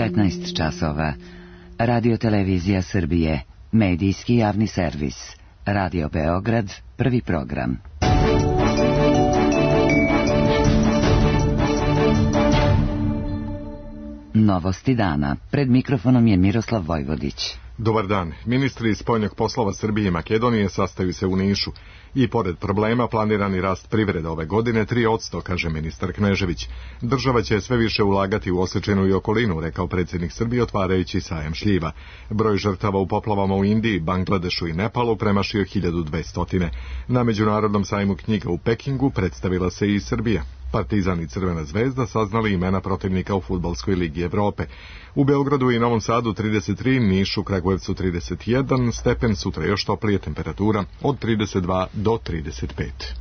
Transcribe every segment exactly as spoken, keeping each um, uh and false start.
petnaest časova. Radio Televizija Srbije, medijski javni servis. Radio Beograd, prvi program. Novosti dana. Pred mikrofonom je Miroslav Vojvodić. Dobar dan. Ministri spoljnih poslova Srbije i Makedonije sastaju se u Nišu. I pored problema planirani rast privrede ove godine tri posto, kaže ministar Knežević. Država će sve više ulagati u Osečinu i okolinu, rekao predsjednik Srbije otvarajući sajam šljiva. Broj žrtava u poplavama u Indiji, Bangladešu i Nepalu premašio hiljadu dvesta. Na Međunarodnom sajmu knjiga u Pekingu predstavila se i Srbija. Partizan i Crvena zvezda saznali imena protivnika u Fudbalskoj ligi Evrope. U Beogradu i Novom Sadu trideset tri, Nišu, Kragujevcu trideset jedan, stepen, sutra još toplije, temperatura od trideset dva do trideset pet.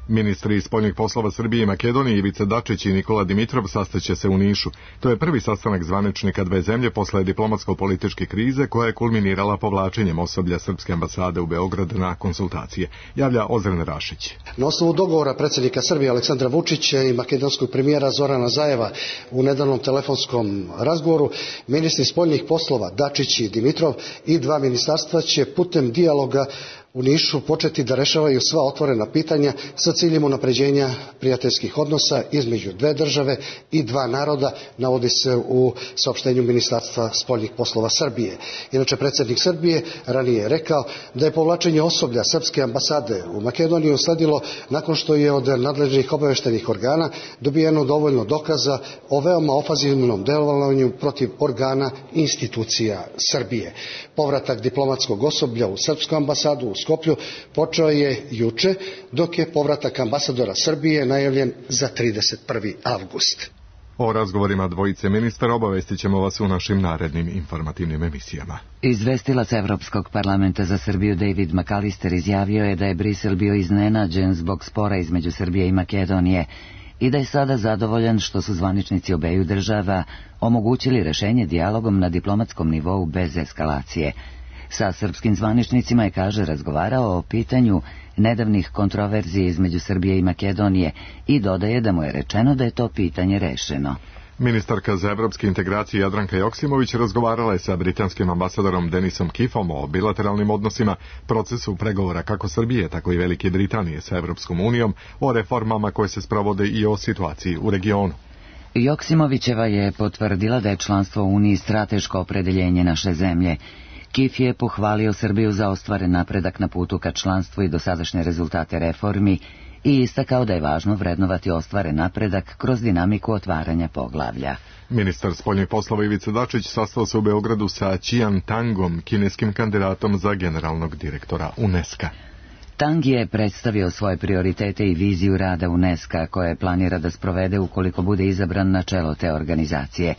Ministri spoljnih poslova Srbije i Makedonije Ivica Dačić i Nikola Dimitrov sastaće se u Nišu. To je prvi sastanak zvaničnika dve zemlje posle diplomatsko-političke krize koja je kulminirala povlačenjem osoblja Srpske ambasade u Beograd na konsultacije. Javlja Ozren Rašić. Na osnovu dogovora predsjednika Srbije Aleksandra Vučića i makedonskog premijera Zorana Zajeva u nedavnom telefonskom razgovoru, ministri spoljnih poslova Dačić i Dimitrov i dva ministarstva će putem dijaloga u Nišu početi da rešavaju sva otvorena pitanja sa ciljem unapređenja prijateljskih odnosa između dve države i dva naroda, navodi se u saopštenju Ministarstva spoljnih poslova Srbije. Inače, predsjednik Srbije ranije je rekao da je povlačenje osoblja Srpske ambasade u Makedoniju usledilo nakon što je od nadležnih obaveštajnih organa dobijeno dovoljno dokaza o veoma ofanzivnom delovanju protiv organa i institucija Srbije. Povratak diplomatskog osoblja u Srpsku ambasadu u Skoplju počeo je juče, dok je povratak ambasadora Srbije najavljen za trideset prvi avgust. O razgovorima dvojice ministara obavestit ćemo vas u našim narednim informativnim emisijama. Izvestilac Evropskog parlamenta za Srbiju David McAllister izjavio je da je Brisel bio iznenađen zbog spora između Srbije i Makedonije i da je sada zadovoljan što su zvaničnici obeju država omogućili rešenje dijalogom na diplomatskom nivou bez eskalacije. Sa srpskim zvaničnicima je, kaže, razgovarao o pitanju nedavnih kontroverzija između Srbije i Makedonije i dodaje da mu je rečeno da je to pitanje rešeno. Ministarka za evropske integracije Jadranka Joksimović razgovarala je sa britanskim ambasadorom Denisom Kiffom o bilateralnim odnosima, procesu pregovora kako Srbije, tako i Velike Britanije sa Evropskom unijom, o reformama koje se sprovode i o situaciji u regionu. Joksimovićeva je potvrdila da je članstvo u Uniji strateško opredeljenje naše zemlje. Kif je pohvalio Srbiju za ostvaren napredak na putu ka članstvu i dosadašnje rezultate reformi i istakao da je važno vrednovati ostvaren napredak kroz dinamiku otvaranja poglavlja. Ministar spoljnih poslova Ivica Dačić sastao se u Beogradu sa Qian Tangom, kineskim kandidatom za generalnog direktora UNESCO. Tang je predstavio svoje prioritete i viziju rada UNESCO koje planira da sprovede ukoliko bude izabran na čelo te organizacije.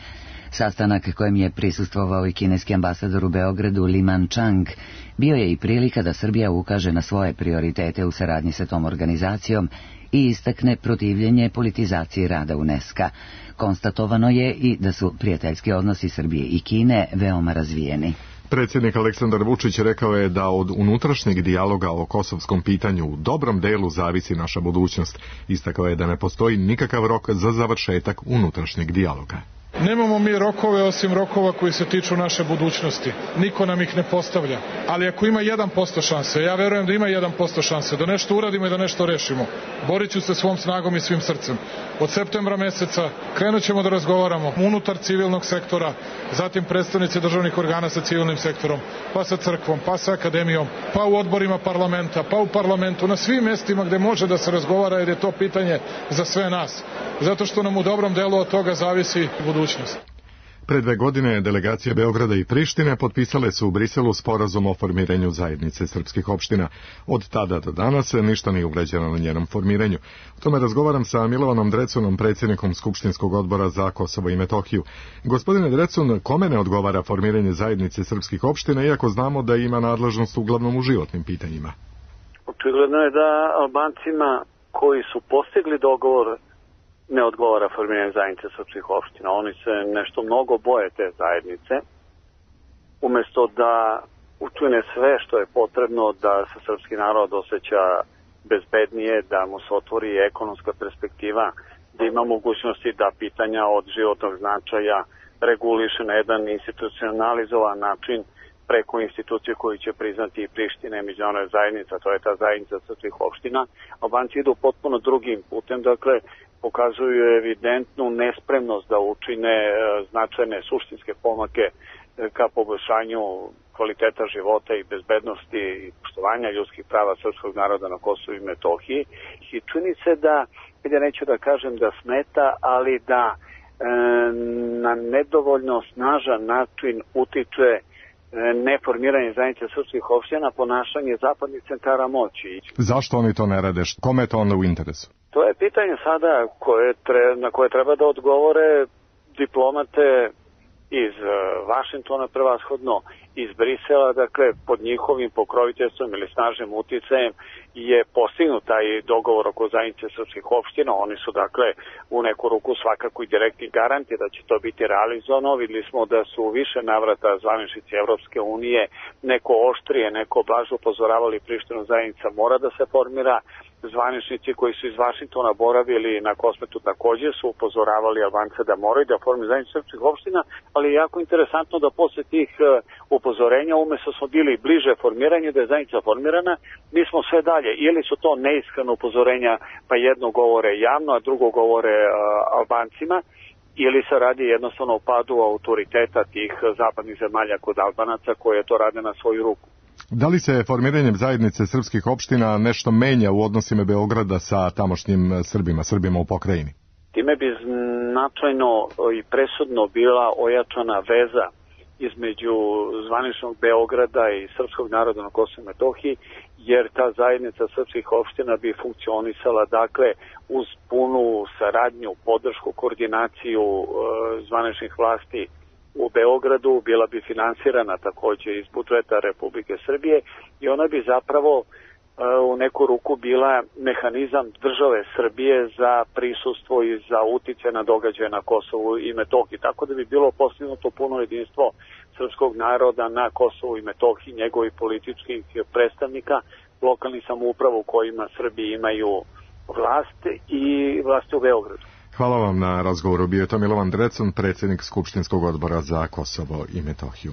Sastanak kojem je prisustvovao i kineski ambasador u Beogradu Li Manchang bio je i prilika da Srbija ukaže na svoje prioritete u saradnji sa tom organizacijom i istakne protivljenje politizaciji rada UNESCO. Konstatovano je i da su prijateljski odnosi Srbije i Kine veoma razvijeni. Predsjednik Aleksandar Vučić rekao je da od unutrašnjeg dijaloga o kosovskom pitanju u dobrom delu zavisi naša budućnost. Istakao je da ne postoji nikakav rok za završetak unutrašnjeg dijaloga. Nemamo mi rokove osim rokova koji se tiču naše budućnosti. Niko nam ih ne postavlja. Ali ako ima jedan posto šanse, ja verujem da ima jedan posto šanse, da nešto uradimo i da nešto rešimo, borit ću se svom snagom i svim srcem. Od septembra meseca krenut ćemo da razgovaramo unutar civilnog sektora, zatim predstavnici državnih organa sa civilnim sektorom, pa sa crkvom, pa sa akademijom, pa u odborima parlamenta, pa u parlamentu, na svim mestima gde može da se razgovara, jer je to pitanje za sve nas. Zato što nam u dobrom delu od toga zavisi budućnost. Pre dve godine delegacija Beograda i Prištine potpisale su u Briselu sporazum o formiranju zajednice srpskih opština. Od tada do danas ništa nije uređeno na njenom formiranju. O tome razgovaram sa Milovanom Drecunom, predsjednikom Skupštinskog odbora za Kosovo i Metohiju. Gospodine Drecun, kome ne odgovara formiranje zajednice srpskih opština, iako znamo da ima nadležnost uglavnom u životnim pitanjima? Očigledno je da Albancima koji su postigli dogovor ne odgovara formiranje zajednice srpskih opština. Oni se nešto mnogo boje te zajednice. Umesto da učine sve što je potrebno da se srpski narod osjeća bezbednije, da mu se otvori ekonomska perspektiva da ima mogućnosti da pitanja od životnog značaja reguliše na jedan institucionalizovan način preko institucije koju će priznati i Priština i međunarodna zajednica, to je ta zajednica srpskih opština. Albanci idu potpuno drugim putem, dakle pokazuju evidentnu nespremnost da učine značajne suštinske pomake ka poboljšanju kvaliteta života i bezbednosti i poštovanja ljudskih prava srpskog naroda na Kosovu i Metohiji. I čini se da, ja neću da kažem da smeta, ali da e, na nedovoljno snažan način utiče neformiranje zajednice srpskih opština, ponašanje zapadnih centara moći. Zašto oni to ne rade? Kome je to onda u interesu? To je pitanje sada koje tre, na koje treba da odgovore diplomate iz Vašingtona prevashodno, iz Brisela, dakle pod njihovim pokroviteljstvom ili snažnim uticajem je postignut taj dogovor oko zajednice srpskih opština. Oni su dakle u neku ruku svakako i direktni garanti da će to biti realizovano. Videli smo da su više navrata zvaničnici Evropske unije neko oštrije, neko blaže upozoravali Prištinu, zajednica mora da se formira. Zvaničnici koji su iz Vašingtona boravili na Kosmetu takođe su upozoravali Albance da moraju da formiraju zajednicu srpskih opština, ali je jako interesantno da posle tih upozorenja, umesto smo bili bliže formiranju, da je zajednica formirana, mi smo sve dalje. Ili su to neiskreno upozorenja, pa jedno govore javno, a drugo govore uh, Albancima, ili se radi jednostavno o padu autoriteta tih zapadnih zemalja kod Albanaca koje to rade na svoju ruku. Da li se formiranjem zajednice srpskih opština nešto menja u odnosima Beograda sa tamošnjim Srbima, Srbima u pokrajini? Time bi značajno i presudno bila ojačana veza između zvaničnog Beograda i srpskog naroda na Kosovu i Metohiji, jer ta zajednica srpskih opština bi funkcionisala dakle uz punu saradnju, podršku, koordinaciju e, zvaničnih vlasti u Beogradu, bila bi finansirana takođe iz budžeta Republike Srbije i ona bi zapravo e, u neku ruku bila mehanizam države Srbije za prisustvo i za utice na događaje na Kosovu i Metohiji. Tako da bi bilo postignuto puno jedinstvo srpskog naroda na Kosovu i Metohiji, njegovih političkih predstavnika, lokalnih samouprava u kojima Srbi imaju vlast i vlast u Beogradu. Hvala vam na razgovoru. Bio je to Milovan Drecun, predsjednik Skupštinskog odbora za Kosovo i Metohiju.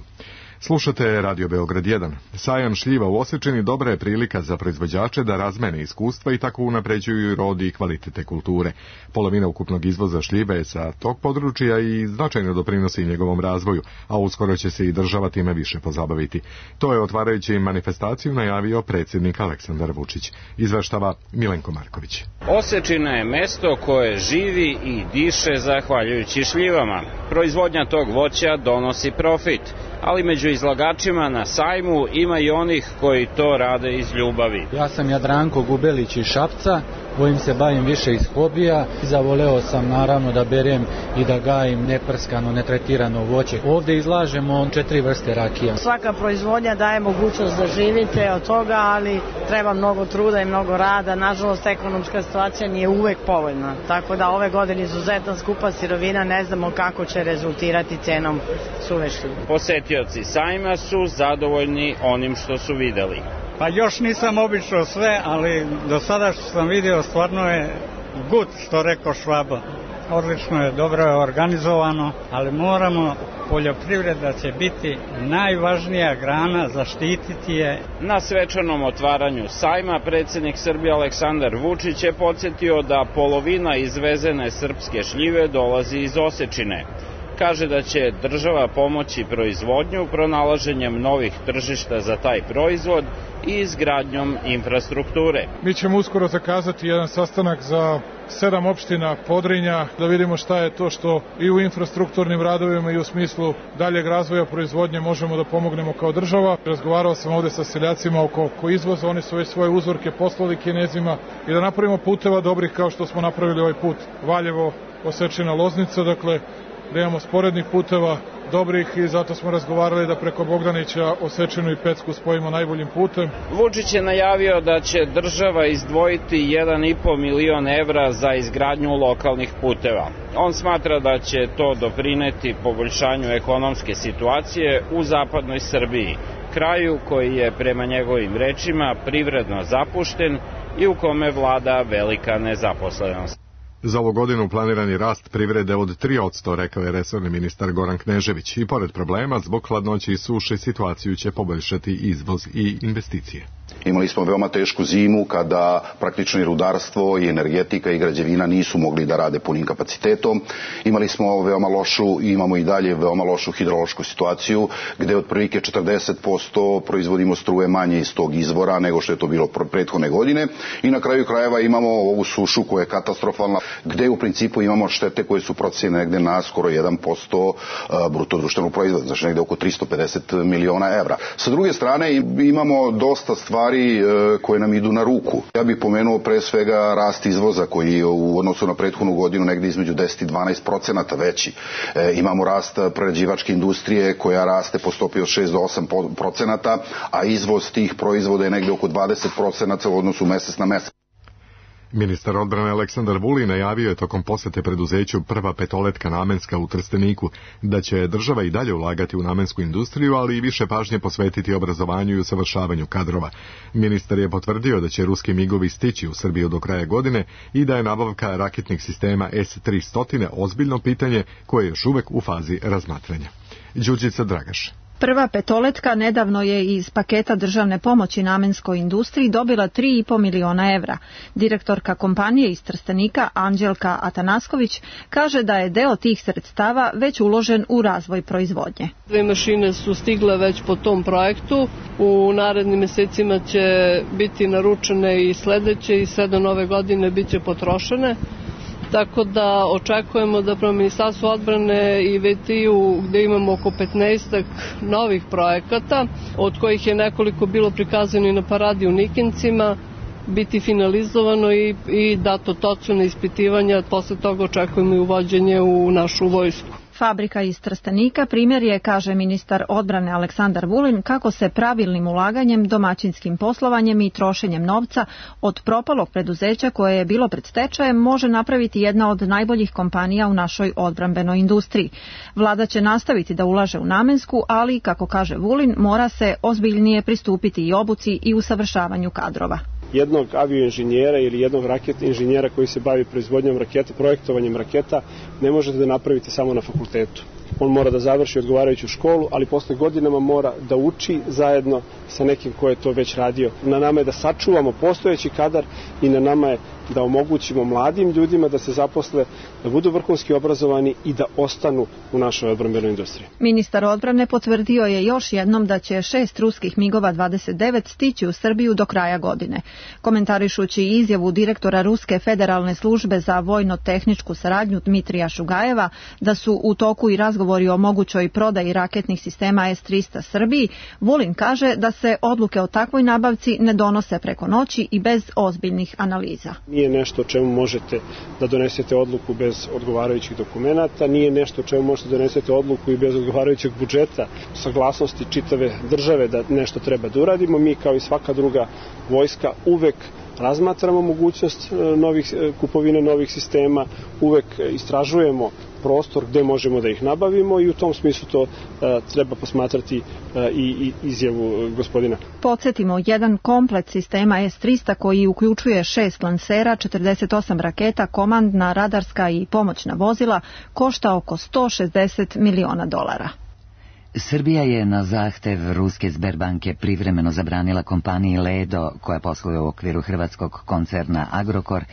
Slušate Radio Beograd jedan. Sajam šljiva u Osečini dobra je prilika za proizvođače da razmene iskustva i tako unapređuju rod i kvalitete kulture. Polovina ukupnog izvoza šljive je sa tog područja i značajno doprinosi njegovom razvoju, a uskoro će se i država time više pozabaviti. To je otvarajući manifestaciju najavio predsjednik Aleksandar Vučić. Izveštava Milenko Marković. Osečina je mesto koje živi i diše zahvaljujući šljivama. Proizvodnja tog voća donosi profit, ali među izlagačima na sajmu ima i onih koji to rade iz ljubavi. Ja sam Jadranko Gubelić iz Šapca, kojim se bavim više iz hobija. Zavoleo sam naravno da berem i da gajim neprskano, netretirano voće. Ovdje izlažemo četiri vrste rakija. Svaka proizvodnja daje mogućnost da živite od toga, ali treba mnogo truda i mnogo rada. Nažalost, ekonomska situacija nije uvek povoljna. Tako da ove godine izuzetno skupa sirovina, ne znamo kako će rezultirati cenom suve šljive. Posetioci sajma su zadovoljni onim što su videli. Pa još nisam obišao sve, ali do sada što sam vidio stvarno je gut, što rekao Švaba. Odlično je, dobro je organizovano, ali moramo, poljoprivreda će biti najvažnija grana, zaštititi je. Na svečanom otvaranju sajma predsjednik Srbije Aleksandar Vučić je podsjetio da polovina izvezene srpske šljive dolazi iz Osečine. Kaže da će država pomoći proizvodnju pronalaženjem novih tržišta za taj proizvod i izgradnjom infrastrukture. Mi ćemo uskoro zakazati jedan sastanak za sedam opština Podrinja, da vidimo šta je to što i u infrastrukturnim radovima i u smislu daljeg razvoja proizvodnje možemo da pomognemo kao država. Razgovarao sam ovde sa seljacima oko, oko izvoza, oni su već svoje uzorke poslali Kinezima i da napravimo puteva dobrih kao što smo napravili ovaj put Valjevo, Osečina, Loznica, dakle da imamo sporednih puteva dobrih i zato smo razgovarali da preko Bogdanića Osečinu i Pecku spojimo najboljim putem. Vučić je najavio da će država izdvojiti jedan i po milion evra za izgradnju lokalnih puteva. On smatra da će to doprineti poboljšanju ekonomske situacije u zapadnoj Srbiji, kraju koji je prema njegovim rečima privredno zapušten i u kome vlada velika nezaposlenost. Za ovu godinu planiran je rast privrede od tri posto, rekao je resorni ministar Goran Knežević. I pored problema, zbog hladnoće i suše, situaciju će poboljšati izvoz i investicije. Imali smo veoma tešku zimu kada praktično i rudarstvo i energetika i građevina nisu mogli da rade punim kapacitetom. Imali smo veoma lošu i imamo i dalje veoma lošu hidrološku situaciju gde otprilike četrdeset posto proizvodimo struje manje iz tog izvora nego što je to bilo prethodne godine. I na kraju krajeva imamo ovu sušu koja je katastrofalna gde u principu imamo štete koje su procenjene negde na skoro jedan posto bruto društvenog proizvoda, znači negde oko tristo pedeset miliona evra. Sa druge strane imamo dosta stvari koje nam idu na ruku. Ja bih pomenuo pre svega rast izvoza koji je u odnosu na prethodnu godinu negde između deset i dvanaest procenata veći. E, imamo rast prerađivačke industrije koja raste po stopi od šest do osam procenata, a izvoz tih proizvoda je negde oko dvadeset procenata u odnosu mesec na mesec. Ministar odbrane Aleksandar Vulin najavio je tokom posete preduzeću Prva petoletka namenska u Trsteniku da će država i dalje ulagati u namensku industriju, ali i više pažnje posvetiti obrazovanju i usavršavanju kadrova. Ministar je potvrdio da će ruski migovi stići u Srbiju do kraja godine i da je nabavka raketnih sistema S tristo ozbiljno pitanje koje je još uvek u fazi razmatranja. Đurđica Dragaš. Prva petoletka nedavno je iz paketa državne pomoći namenskoj industriji dobila tri i po miliona evra. Direktorka kompanije iz Trstenika Anđelka Atanasković kaže da je deo tih sredstava već uložen u razvoj proizvodnje. Dve mašine su stigle već po tom projektu. U narednim mesecima će biti naručene i sledeće i sve do nove godine bit će potrošene. Tako da očekujemo da prema Ministarstvu odbrane i V T I-u gde imamo oko petnaestak novih projekata, od kojih je nekoliko bilo prikazano i na paradi u Nikincima, biti finalizovano i, i dato točno ispitivanja, posle toga očekujemo i uvođenje u našu vojsku. Fabrika iz Trstenika primjer je, kaže ministar odbrane Aleksandar Vulin, kako se pravilnim ulaganjem, domaćinskim poslovanjem i trošenjem novca od propalog preduzeća koje je bilo pred stečajem može napraviti jedna od najboljih kompanija u našoj odbrambenoj industriji. Vlada će nastaviti da ulaže u namensku, ali, kako kaže Vulin, mora se ozbiljnije pristupiti i obuci i usavršavanju kadrova. Jednog avioinženjera ili jednog raket inženjera koji se bavi proizvodnjom raketa, projektovanjem raketa, ne možete da napravite samo na fakultetu. On mora da završi odgovarajuću školu, ali posle godinama mora da uči zajedno sa nekim ko je to već radio. Na nama je da sačuvamo postojeći kadar i na nama je da omogućimo mladim ljudima da se zaposle, da budu vrhunski obrazovani i da ostanu u našoj odbrambenoj industriji. Ministar odbrane potvrdio je još jednom da će šest ruskih migova dvadeset devet stići u Srbiju do kraja godine. Komentarišući izjavu direktora Ruske federalne službe za vojno-tehničku saradnju Dmitrija Šugajeva da su u toku i razgovori o mogućoj prodaji raketnih sistema S tristo Srbiji, Vulin kaže da se odluke o takvoj nabavci ne donose preko noći i bez ozbiljnih analiza. Nije nešto o čemu možete da donesete odluku bez odgovarajućih dokumenata, nije nešto o čemu možete da donesete odluku i bez odgovarajućeg budžeta, saglasnosti čitave države da nešto treba da uradimo. Mi kao i svaka druga vojska uvek razmatramo mogućnost novih, kupovine novih sistema, uvek istražujemo prostor gde možemo da ih nabavimo i u tom smislu to uh, treba posmatrati uh, i, i izjavu gospodina. Podsjetimo, jedan komplet sistema S tristo koji uključuje šest lansera, četrdeset osam raketa, komandna, radarska i pomoćna vozila košta oko sto šezdeset miliona dolara. Srbija je na zahtev ruske Sberbanke privremeno zabranila kompaniji Ledo, koja posluje u okviru hrvatskog koncerna Agrokor,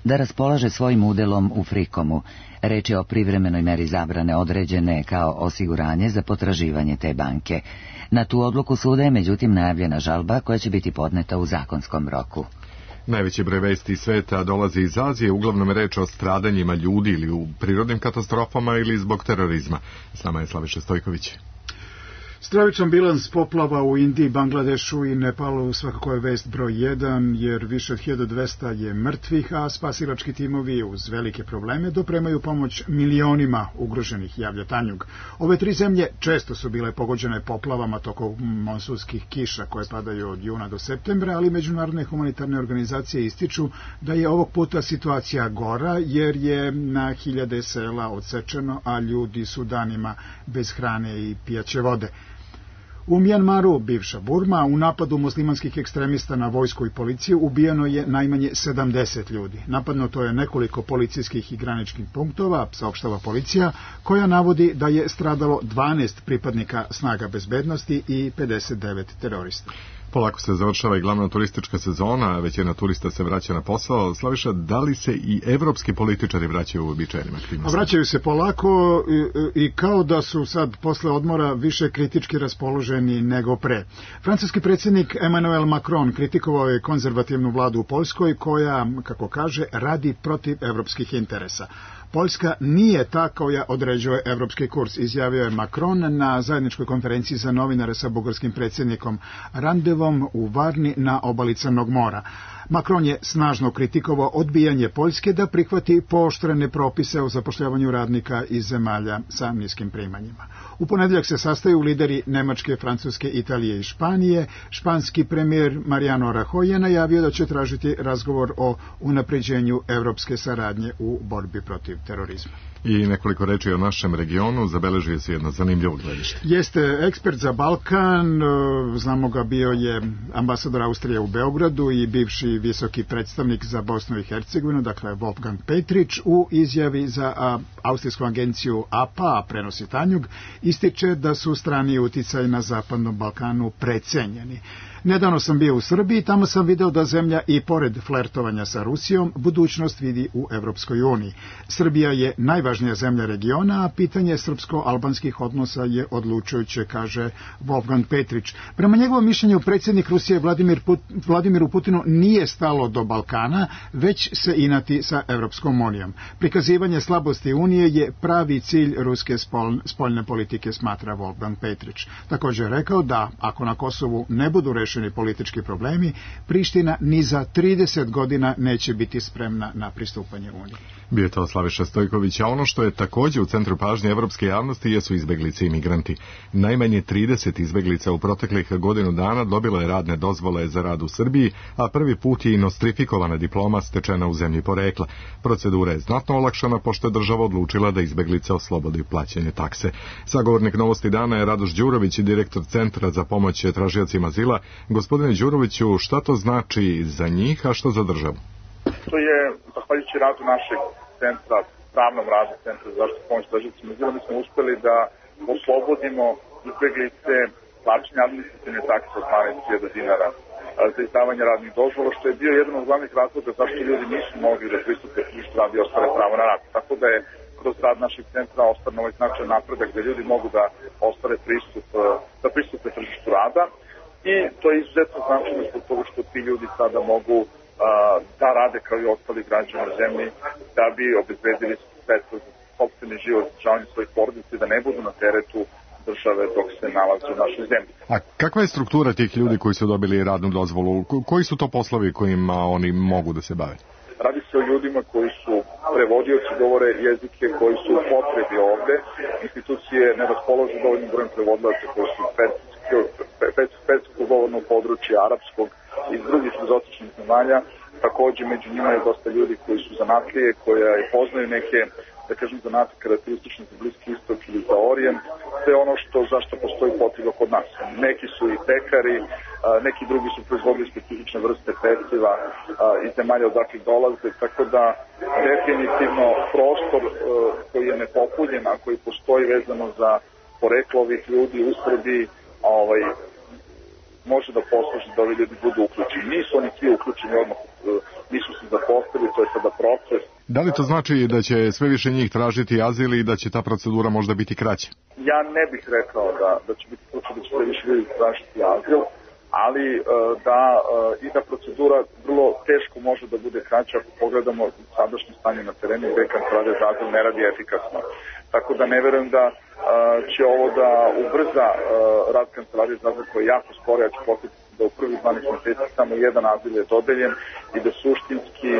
da raspolaže svojim udelom u Frikomu. Reč je o privremenoj meri zabrane određene kao osiguranje za potraživanje te banke. Na tu odluku suda je međutim najavljena žalba koja će biti podneta u zakonskom roku. Najveći broj vesti sveta dolazi iz Azije, uglavnom je reč o stradanjima ljudi ili u prirodnim katastrofama ili zbog terorizma. S nama je Slaviša Stojković. Stravičan bilans poplava u Indiji, Bangladešu i Nepalu svakako je vest broj jedan, jer više od hiljadu dvesta je mrtvih, a spasilački timovi uz velike probleme dopremaju pomoć milionima ugroženih, javlja Tanjug. Ove tri zemlje često su bile pogođene poplavama tokom monsunskih kiša koje padaju od juna do septembra, ali međunarodne humanitarne organizacije ističu da je ovog puta situacija gora, jer je na hiljade sela odsečeno, a ljudi su danima bez hrane i pijaće vode. U Mjanmaru, bivša Burma, u napadu muslimanskih ekstremista na vojsku i policiju ubijeno je najmanje sedamdeset ljudi. Napadnuto je nekoliko policijskih i graničnih punktova, saopštava policija, koja navodi da je stradalo dvanaest pripadnika snaga bezbednosti i pedeset devet terorista. Polako se završava i glavna turistička sezona, većina turista se vraća na posao. Slaviša, da li se i evropski političari vraćaju u uobičajenim aktivnostima? Vraćaju se polako i, i kao da su sad posle odmora više kritički raspoloženi nego pre. Francuski predsjednik Emmanuel Macron kritikovao je konzervativnu vladu u Poljskoj koja, kako kaže, radi protiv evropskih interesa. Poljska nije ta koja određuje evropski kurs, izjavio je Macron na zajedničkoj konferenciji za novinare sa bugarskim predsjednikom Randevom u Varni na obali Crnog mora. Macron je snažno kritikovao odbijanje Poljske da prihvati pooštrene propise o zapošljavanju radnika iz zemalja sa niskim primanjima. U ponedjeljak se sastaju lideri Nemačke, Francuske, Italije i Španije. Španski premijer Mariano Rajoy je najavio da će tražiti razgovor o unapređenju evropske saradnje u borbi protiv terorizma. I nekoliko reči o našem regionu, zabeležuje se jedno zanimljivo gledište. Jeste ekspert za Balkan, znamo ga, bio je ambasador Austrije u Beogradu i bivši visoki predstavnik za Bosnu i Hercegovinu, dakle Wolfgang Petrić, u izjavi za a, austrijsku agenciju A P A, prenosi Tanjug, ističe da su strani uticaj na Zapadnom Balkanu precenjeni. Nedavno sam bio u Srbiji, tamo sam video da zemlja i pored flertovanja sa Rusijom budućnost vidi u Evropskoj uniji. Srbija je najvažnija zemlja regiona, a pitanje srpsko-albanskih odnosa je odlučujuće, kaže Wolfgang Petrić. Prema njegovom mišljenju, predsjednik Rusije Vladimir Put, Vladimiru Putinu nije stalo do Balkana, već se inati sa Evropskom unijom. Prikazivanje slabosti Unije je pravi cilj ruske spol, spoljne politike, smatra Wolfgang Petrić. Također je rekao da ako na Kosovu ne budu rešeni politički problemi, Priština ni za trideset godina neće biti spremna na pristupanje Uniji. Bio je to Slaviša Stojković, a ono što je također u centru pažnje evropske javnosti jesu izbeglice i migranti. Najmanje trideset izbeglica u proteklih godinu dana dobilo je radne dozvole za rad u Srbiji, a prvi put je i nostrifikovana diploma stečena u zemlji porekla. Procedura je znatno olakšana pošto je država odlučila da izbeglice oslobodi plaćanje takse. Sagovornik Novosti dana je Radoš Đurović, direktor Centra za pomoć tražiocima azila. Gospodine Đuroviću, šta to znači za njih, a što za državu? To je, zahvaljujući radu našeg centra, pravnom radu Centra za zaštitu pomoć tražiocima azila, mi smo uspeli da oslobodimo izbeglice plaćanja administrativne takse od dvanaest hiljada dinara za izdavanje radnih dozvola, što je bio jedan od glavnih razloga zašto ljudi nisu mogli da pristupe tržištu rada i ostvare pravo na rad. Tako da je kroz rad našeg centra ostvaren ovaj značajan napredak da ljudi mogu da ostvare pristup, da pristupe tržištu rada. I to je izuzetno značajno zbog toga što ti ljudi sada mogu uh, da rade kao i ostali građani na zemlji, da bi obezbedili sredstva za sopstveni život, održavanje svojih porodica i da ne budu na teretu države dok se nalaze u našoj zemlji. A kakva je struktura tih ljudi koji su dobili radnu dozvolu? Koji su to poslovi kojima oni mogu da se bave? Radi se o ljudima koji su prevodioci, govore jezike koji su u potrebi ovde. Institucije ne raspolože dovoljnim brojem prevodilaca koji su perskog govornog područja, arapskog i drugih egzotičnih zemalja. Takođe među njima je dosta ljudi koji su zanatlije, koja poznaju neke, da kažem, zanate karakteristične za Bliski istok ili za Orijent. To je ono što, zašto postoji potreba kod nas. Neki su i pekari, neki drugi su proizvodili specifične vrste peciva iz zemalja odakle dolaze, tako da definitivno prostor koji je nepopunjen, a koji postoji vezano za poreklo ovih ljudi u Srbiji, ovaj, može da posluži da ovi ljudi budu uključeni. Nisu oni svi uključeni odmah, nisu se zaposlili, to je sada proces. Da li to znači da će sve više njih tražiti azil i da će ta procedura možda biti kraća? Ja ne bih rekao da, da će biti slučaj da će sve više ljudi tražiti azil, ali da i da procedura vrlo teško može da bude kraća ako pogledamo sadašnje stanje na terenu gde Kancelarija za azil ne radi efikasno. Tako da ne verujem da će ovo da ubrza rad Kancelarije za azil koji je jako sporo. Ja ću posjetiti da u prvih dvanaest meseci samo jedan azil je dodeljen i da suštinski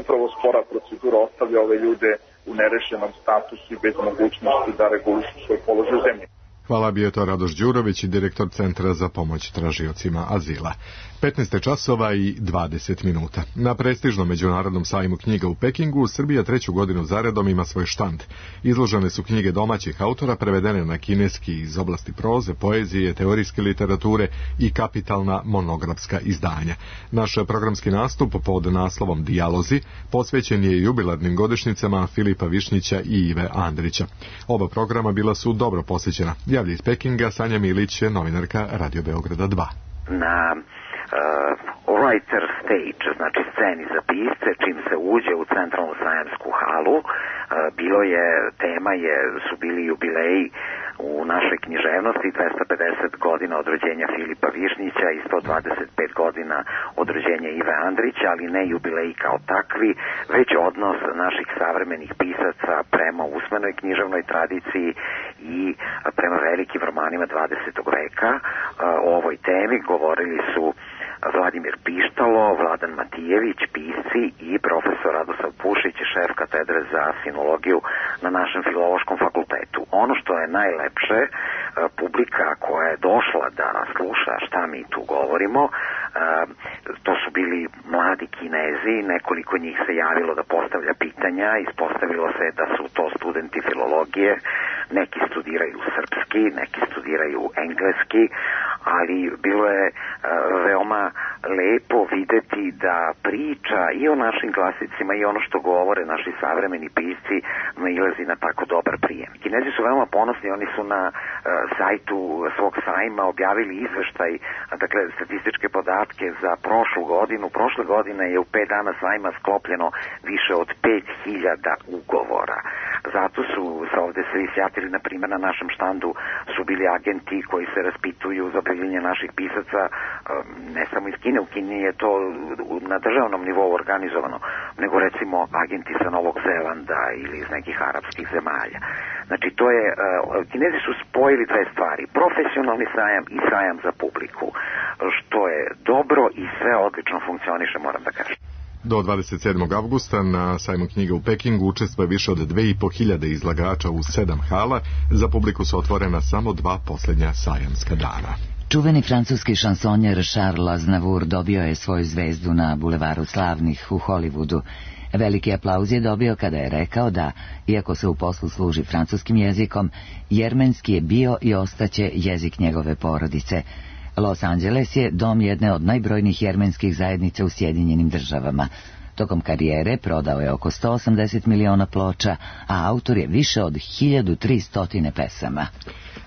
upravo spora procedura ostavlja ove ljude u nerešenom statusu i bez mogućnosti da regulišu svoj položaj u zemlji. Hvala, bio je to Radoš Đurović, direktor Centra za pomoć tražiocima azila. petnaest časova i dvadeset minuta. Na prestižnom međunarodnom sajmu knjiga u Pekingu Srbija treću godinu zaredom ima svoj štand. Izložene su knjige domaćih autora prevedene na kineski iz oblasti proze, poezije, teorijske literature i kapitalna monografska izdanja. Naš programski nastup pod naslovom Dijalozi posvećen je jubilarnim godišnjicama Filipa Višnjića i Ive Andrića. Oba programa bila su dobro posjećena. Javlja iz Pekinga Sanja Milić, novinarka Radio Beograda dva. Na uh, writer stage, znači sceni za pisce, čim se uđe u centralnu sajamsku halu, uh, bilo je, tema je, su bili jubileji u našoj književnosti, dvesta pedeset godina od rođenja Filipa Višnjića i sto dvadeset pet godina od rođenja Ive Andrića, ali ne jubileji kao takvi, već odnos naših savremenih pisaca prema usmenoj književnoj tradiciji i prema velikim romanima dvadesetog veka. O ovoj temi govorili su Vladimir Pištalo, Vladan Matijević, pisci i profesor Radoslav Pušić, šef katedre za sinologiju na našem filološkom fakultetu. Ono što je najlepše, publika koja je došla da sluša šta mi tu govorimo, to su bili mladi Kinezi, nekoliko njih se javilo da postavlja pitanja, ispostavilo se da su to studenti filologije, neki studiraju srpski, neki studiraju engleski, ali bilo je veoma lepo videti da priča i o našim klasicima i ono što govore naši savremeni pisci nailazi na tako dobar prijem. Kinezi su veoma ponosni, oni su na uh, sajtu svog sajma objavili izveštaj, dakle statističke podatke za prošlu godinu. Prošle godine je u pet dana sajma sklopljeno više od pet hiljada ugovora. Zato su se ovde svi sjatili, na primjer na našem štandu su bili agenti koji se raspituju za objavljivanje naših pisaca, ne samo iz Kine, u Kini je to na državnom nivou organizovano, nego recimo agenti sa Novog Zelanda ili iz nekih arapskih zemalja. Znači to je, Kinezi su spojili dve stvari, profesionalni sajam i sajam za publiku, što je dobro i sve odlično funkcioniše, moram da kažem. Do dvadeset sedmog avgusta na sajmu knjiga u Pekingu učestvuje više od dve i po hiljade izlagača u sedam hala. Za publiku su otvorena samo dva posljednja sajamska dana. Čuveni francuski šansonjer Charles Aznavour dobio je svoju zvezdu na bulevaru slavnih u Hollywoodu. Veliki aplauz je dobio kada je rekao da, iako se u poslu služi francuskim jezikom, jermenski je bio i ostaće jezik njegove porodice. Los Angeles je dom jedne od najbrojnijih jermenskih zajednica u Sjedinjenim državama. Tokom karijere prodao je oko sto osamdeset miliona ploča, a autor je više od hiljadu tristo pesama.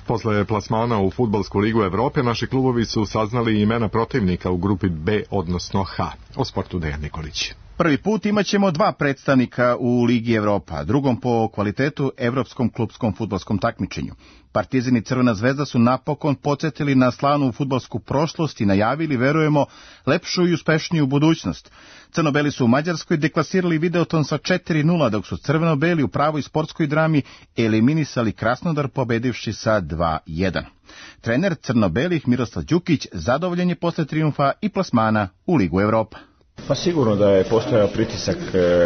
Posle plasmana u Fudbalsku ligu Evrope, naši klubovi su saznali imena protivnika u grupi B, odnosno H. O sportu Dejan Nikolić. Prvi put imaćemo dva predstavnika u Ligi Evropa, drugom po kvalitetu evropskom klupskom fudbalskom takmičenju. Partizan i Crvena zvezda su napokon podsjetili na slavnu fudbalsku prošlost i najavili, verujemo, lepšu i uspešniju budućnost. Crno-beli su u Mađarskoj deklasirali Videoton sa četiri nula, dok su crveno-beli u pravoj sportskoj drami eliminisali Krasnodar pobedivši sa dva jedan. Trener crno-belih Miroslav Đukić zadovoljen je posle trijumfa i plasmana u Ligu Evropa. Pa sigurno da je postojao pritisak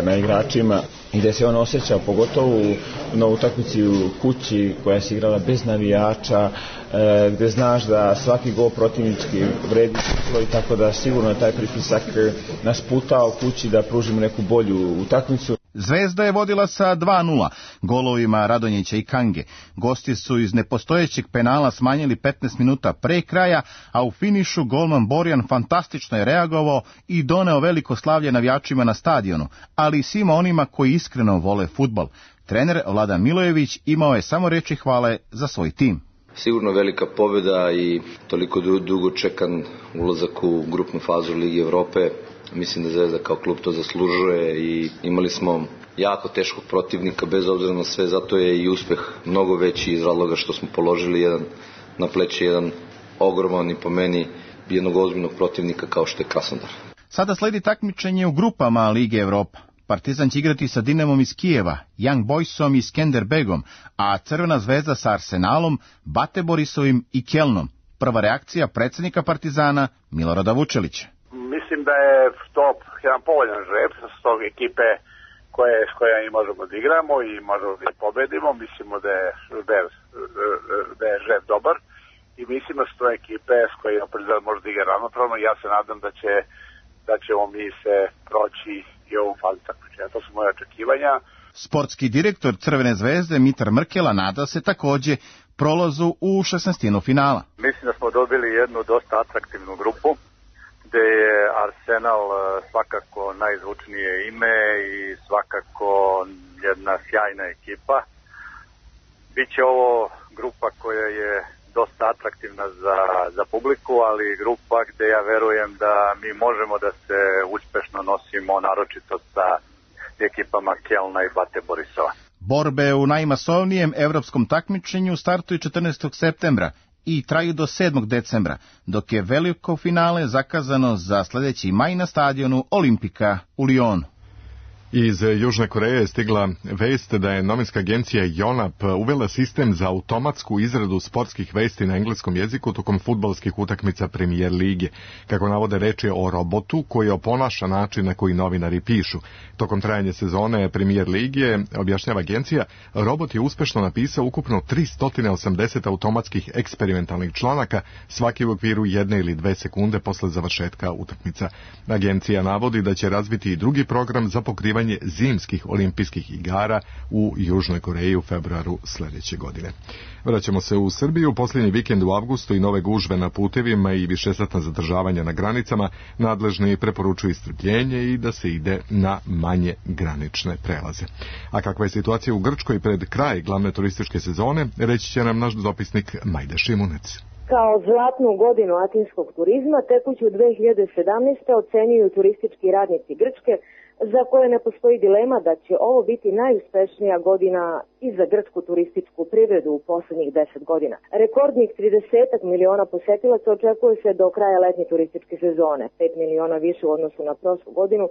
na igračima i da se on osjećao pogotovo na utakmici u kući koja se igrala bez navijača, gde znaš da svaki gol protivnički vredi i tako da sigurno je taj pritisak nas putao kući da pružimo neku bolju utakmicu. Zvezda je vodila sa dva nula, golovima Radonjića i Kange. Gosti su iz nepostojećeg penala smanjili petnaest minuta pre kraja, a u finišu golman Borjan fantastično je reagovao i doneo veliko slavlje navijačima na stadionu, ali i svima onima koji iskreno vole fudbal. Trener Vladan Milojević imao je samo reči hvale za svoj tim. Sigurno velika pobjeda i toliko dugo čekan ulazak u grupnu fazu Ligi Evrope. Mislim da Zvezda kao klub to zaslužuje i imali smo jako teškog protivnika bez obzira na sve, zato je i uspeh mnogo veći iz razloga što smo položili jedan na pleće jedan ogroman i po meni jednog ozbiljnog protivnika kao što je Krasnodar. Sada sledi takmičenje u grupama Lige Evropa. Partizan će igrati sa Dinamom iz Kijeva, Young Boysom i Skenderbegom, a Crvena zvezda sa Arsenalom, Bate Borisovim i Kelnom. Prva reakcija predsjednika Partizana Milorada Vučelića. Mislim da je to jedan povoljan žreb s tog ekipe koje, s koja i možemo da igramo i možemo da ih pobedimo. Mislimo da je, da je žet dobar i mislimo da su to ekipe s koje opet može da igra ravnopravno i ja se nadam da će da ćemo mi se proći i ovu fazu takmičenja. To su moje očekivanja. Sportski direktor Crvene zvezde Mitar Mrkela nada se takođe prolazu u šesnaestinu finala. Mislim da smo dobili jednu dosta atraktivnu grupu, gde je Arsenal svakako najzvučnije ime i svakako jedna sjajna ekipa. Biće ovo grupa koja je dosta atraktivna za, za publiku, ali grupa gde ja verujem da mi možemo da se uspešno nosimo, naročito sa ekipama Kelna i Bate Borisova. Borbe u najmasovnijem evropskom takmičenju startuju četrnaestog septembra i traju do sedmog decembra, dok je veliko finale zakazano za sledeći maj na stadionu Olimpika u Lionu. Iz Južne Koreje je stigla vest da je novinska agencija Yonhap uvela sistem za automatsku izradu sportskih vesti na engleskom jeziku tokom fudbalskih utakmica Premier lige. Kako navode, reč je o robotu koji oponaša način na koji novinari pišu. Tokom trajanja sezone Premier lige, objašnjava agencija, robot je uspešno napisao ukupno tristo osamdeset automatskih eksperimentalnih članaka, svaki u okviru jedne ili dve sekunde posle završetka utakmica. Agencija navodi da će razviti i drugi program za pokrivanje zimskih olimpijskih igara u Južnoj Koreji u februaru sledeće godine. Vraćamo se u Srbiju. Posljednji vikend u avgustu i nove gužve na putevima i višesatna zadržavanja na granicama, nadležni preporučuju strpljenje i da se ide na manje granične prelaze. A kakva je situacija u Grčkoj pred kraj glavne turističke sezone, reći će nam naš dopisnik Majda Šimunec. Kao zlatnu godinu atinskog turizma tekuću dve hiljade sedamnaeste. ocenjuju turistički radnici Grčke, za koje ne postoji dilema da će ovo biti najuspešnija godina i za grčku turističku privredu u poslednjih deset godina. Rekordnih trideset miliona posetilaca očekuje se do kraja letnje turističke sezone, pet miliona više u odnosu na prošlu godinu,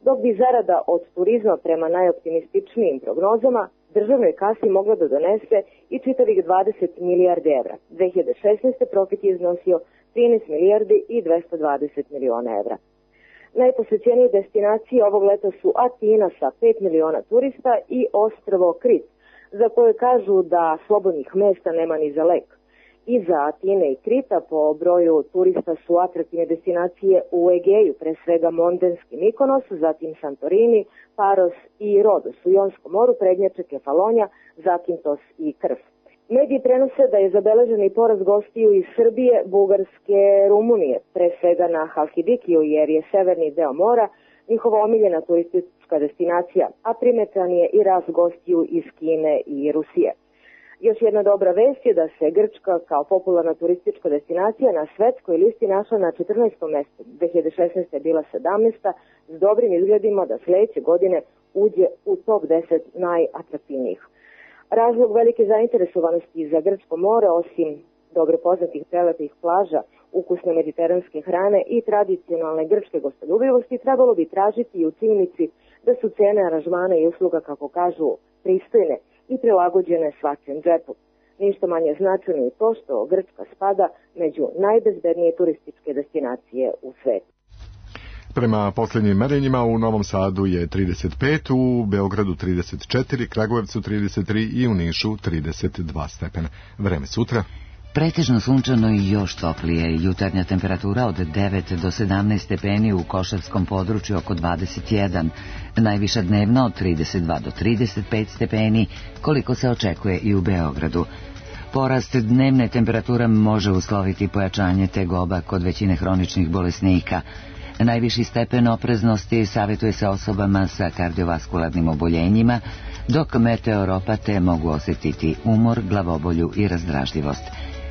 dok bi zarada od turizma prema najoptimističnijim prognozama državnoj kasi mogla da donese i čitavih dvadeset milijardi evra. dve hiljade šesnaeste. profit je iznosio trinaest milijardi i dvesta dvadeset miliona evra. Najposećenije destinacije ovog leta su Atina sa pet miliona turista i ostrvo Krit, za koje kažu da slobodnih mesta nema ni za lek. Iza Atine i Krita po broju turista su atraktivne destinacije u Egeju, pre svega Mondenski Mikonos, zatim Santorini, Paros i Rodos u Jonskom moru, prednjače Kefalonja, Zakintos i Krf. Mediji prenose da je zabeležen i porast gostiju iz Srbije, Bugarske, Rumunije, pre svega na Halkidikiju, jer je severni deo mora njihova omiljena turistička destinacija, a primetan je i rast gostiju iz Kine i Rusije. Još jedna dobra vest je da se Grčka kao popularna turistička destinacija na svetskoj listi našla na četrnaestom mestu. dve hiljade šesnaeste. je bila sedamnaesta. s dobrim izgledima da sledeće godine uđe u top deset najatraktivnijih. Razlog velike zainteresovanosti za Grčko more, osim dobro poznatih prelepih plaža, ukusne mediteranske hrane i tradicionalne grčke gostoljubivosti, trebalo bi tražiti i u činjenici da su cene aranžmana i usluga, kako kažu, pristojne i prilagođene svačijem džepu. Ništa manje značajno i to što Grčka spada među najbezbednije turističke destinacije u svetu. Prema posljednjim merenjima u Novom Sadu je trideset pet, u Beogradu trideset četiri, Kragujevcu trideset tri i u Nišu trideset dva stepena. Vreme sutra. Pretežno sunčano i još toplije. Jutarnja temperatura od devet do sedamnaest stepeni, u Košavskom području oko dvadeset jedan. Najviša dnevna od trideset dva do trideset pet stepeni, koliko se očekuje i u Beogradu. Porast dnevne temperature može usloviti pojačanje tegoba kod većine hroničnih bolesnika. Najviši stepen opreznosti savjetuje se osobama sa kardiovaskularnim oboljenjima, dok meteoropate mogu osjetiti umor, glavobolju i razdražljivost.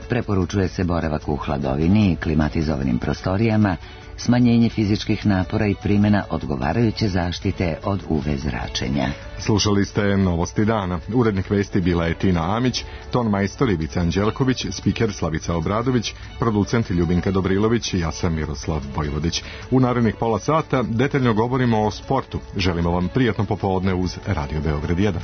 Preporučuje se boravak u hladovini i klimatizovanim prostorijama, smanjenje fizičkih napora i primjena odgovarajuće zaštite od U V zračenja. Slušali ste Novosti dana. Urednik vesti bila je Tina Amić, ton majstor Ivica Anđelković, spiker Slavica Obradović, producent Ljubinka Dobrilović i ja sam Miroslav Vojvodić. U narednih pola sata detaljno govorimo o sportu. Želimo vam prijatno popodne uz Radio Beograd jedan.